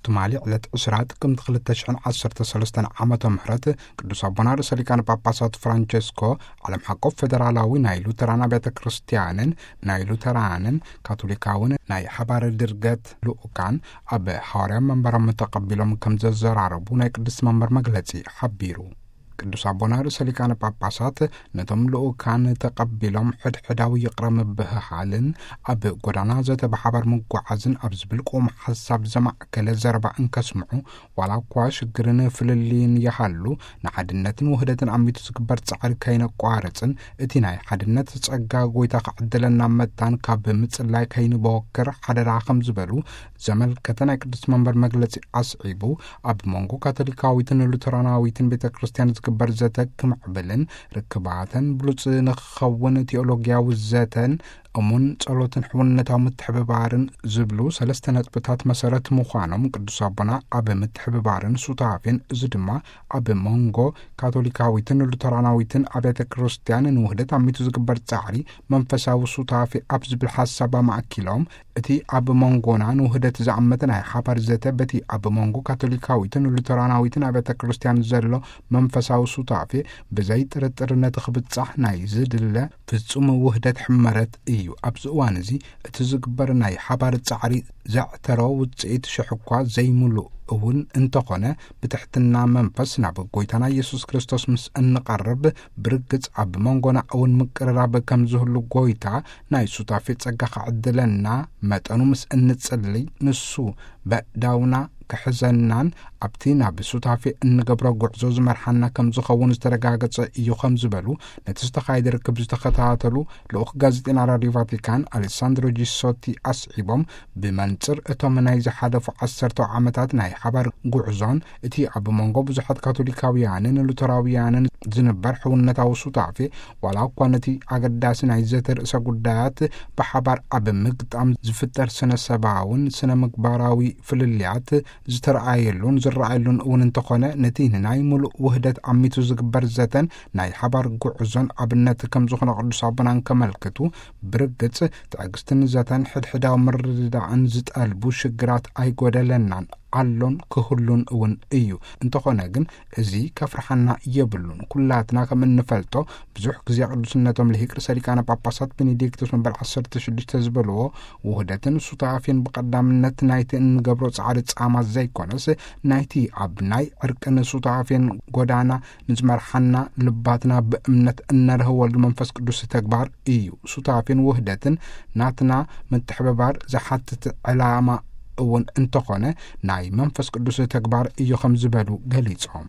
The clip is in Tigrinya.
ትማሊ ዕለት ዕስራ ጥቅምቲ ክልተ ሽሕን ዓሰርተ ሰለስተን ዓመተ ምህረት ቅዱስ ኣቦና ርእሰ ሊቃነ ጳጳሳት ፍራንቸስኮ ዓለም ሓቆፍ ፌደራላዊ ናይ ሉተራን ኣብያተ ክርስቲያንን ናይ ሉተራንን ካቶሊካውን ናይ ሓባር ድርገት ልኡካን ኣብ ሓዋርያ መንበሮም ተቐቢሎም ከም ዘዘራረቡ ናይ ቅዱስ መንበር መግለጺ ሓቢሩ። ቅዱስ ኣቦና ርእሰ ሊቃነ ጳጳሳት ነቶም ልኡካን ተቐቢሎም ሕድሕዳዊ ይቕረ ምብህሃልን ኣብ ጎዳና ዘተ ብሓባር ምጓዓዝን ኣብ ዝብል ቅውም ሓሳብ ዘማእከለ ዘረባ እንከስምዑ፣ ዋላ እኳ ሽግርን ፍልልይን ይሃሉ፣ ንሓድነትን ውህደትን ኣሚቱ ዝግበር ጻዕሪ ከይነቋርጽን እቲ ናይ ሓድነት ጸጋ ጎይታ ክዕድለና መታን ካብ ምጽላይ ከይንበወክር ሓደራ ከም ዝበሉ ዘመልከተ ናይ ቅዱስ መንበር መግለጺ ኣስዒቡ፣ ኣብ መንጎ ካቶሊካዊትን ሉተራናዊትን ቤተ ክርስቲያን ዝግበር ዘተ ክምዕብልን ርክባተን ብሉጽ ንክኸውን ቴዎሎጊያዊ ዘተን እሙን ጸሎትን ሕውነታዊ ምትሕብባርን ዝብሉ ሰለስተ ነጥብታት መሰረት ምዃኖም ቅዱስ ኣቦና ኣብ ምትሕብባርን ሱታፌን፣ እዚ ድማ ኣብ መንጎ ካቶሊካዊትን ሉተራናዊትን ኣብያተ ክርስቲያን ንውህደት ኣሚቱ ዝግበር ጻዕሪ መንፈሳዊ ሱታፌ ኣብ ዝብል ሓሳብ ኣማእኪሎም፣ እቲ ኣብ መንጎና ንውህደት ዝኣመተ ናይ ሓባር ዘተ በቲ ኣብ መንጎ ካቶሊካዊትን ሉተራናዊትን ኣብያተ ክርስቲያን ዘሎ መንፈሳዊ ሱታፌ ብዘይ ጥርጥር ነቲ ክብጻሕ ናይ ዝድለ ፍጹም ውህደት ሕመረት እዩ። ኣብዚ እዋን እዚ እቲ ዝግበር ናይ ሓባር ጻዕሪ ዘዕተሮ ውጽኢት ሽሕ እኳ ዘይምሉእ እውን እንተኾነ፣ ብትሕትና መንፈስ ናብ ጎይታና ኢየሱስ ክርስቶስ ምስ እንቐርብ፣ ብርግጽ ኣብ መንጎና እውን ምቅርራብ ከም ዝህሉ ጎይታ ናይ ሱታፌ ጸጋ ክዕድለና መጠኑ ምስ እንጽልይ፣ ንሱ በእዳውና ክሕዘናን ኣብቲ ናብ ሱታፌ እንገብሮ ጉዕዞ ዝመርሓና ከም ዝኸውን ዝተረጋገጸ እዩ ከም ዝበሉ ነቲ ዝተኻየደ ርክብ ዝተኸታተሉ ልኡኽ ጋዜጠኛ ራድዮ ቫቲካን ኣሌሳንድሮ ጂሶቲ ኣስዒቦም፣ ብመንጽር እቶም ናይ ዝሓለፉ ዓሰርተ ዓመታት ናይ ሓባር ጉዕዞን እቲ ኣብ መንጎ ብዙሓት ካቶሊካውያንን ሉተራውያንን ዝንበር ሕውነታዊ ሱታፌ፣ ዋላ እኳ ነቲ ኣገዳሲ ናይ ዘተ ርእሰ ጉዳያት ብሓባር ኣብ ምግጣም ዝፍጠር ስነ ሰባውን ስነ ምግባራዊ ፍልልያት ዝተረኣየሉን ዝረኣየሉን እውን እንተኾነ፣ ነቲ ንናይ ምሉእ ውህደት ኣሚቱ ዝግበር ዘተን ናይ ሓባር ጉዕዞን ኣብነት ከም ዝኾነ ቅዱስ ኣቦና እንከመልክቱ፣ ብርግጽ ትዕግስትን ዘተን ሕድሕዳዊ ምርድዳእን ዝጠልቡ ሽግራት ኣይጎደለናን፣ ኣሎን ክህሉን እውን እዩ። እንተኾነ ግን፣ እዚ ከፍርሓና የብሉን። ኩላትና ከም እንፈልጦ፣ ብዙሕ ግዜ ቅዱስነቶም ልሂቅ ርእሰ ሊቃነ ጳጳሳት ቤኔዲክቶስ መበል ዓሰርተ ሽዱሽተ ዝበልዎ፣ ውህደትን ሱታፌን ብቐዳምነት ናይቲ እንገብሮ ጻዕሪ ጻማ ዘይኮነስ፣ ናይቲ ኣብ ናይ ዕርቅን ሱታፌን ጎዳና ንዝመርሓና፣ ልባትና ብእምነት እነርህወሉ መንፈስ ቅዱስ ተግባር እዩ። ሱታፌን ውህደትን ናትና ምትሕብባር ዝሓትት ዕላማ እውን እንተኾነ፣ ናይ መንፈስ ቅዱስ ተግባር እዩ ከም ዝበሉ ገሊጾም።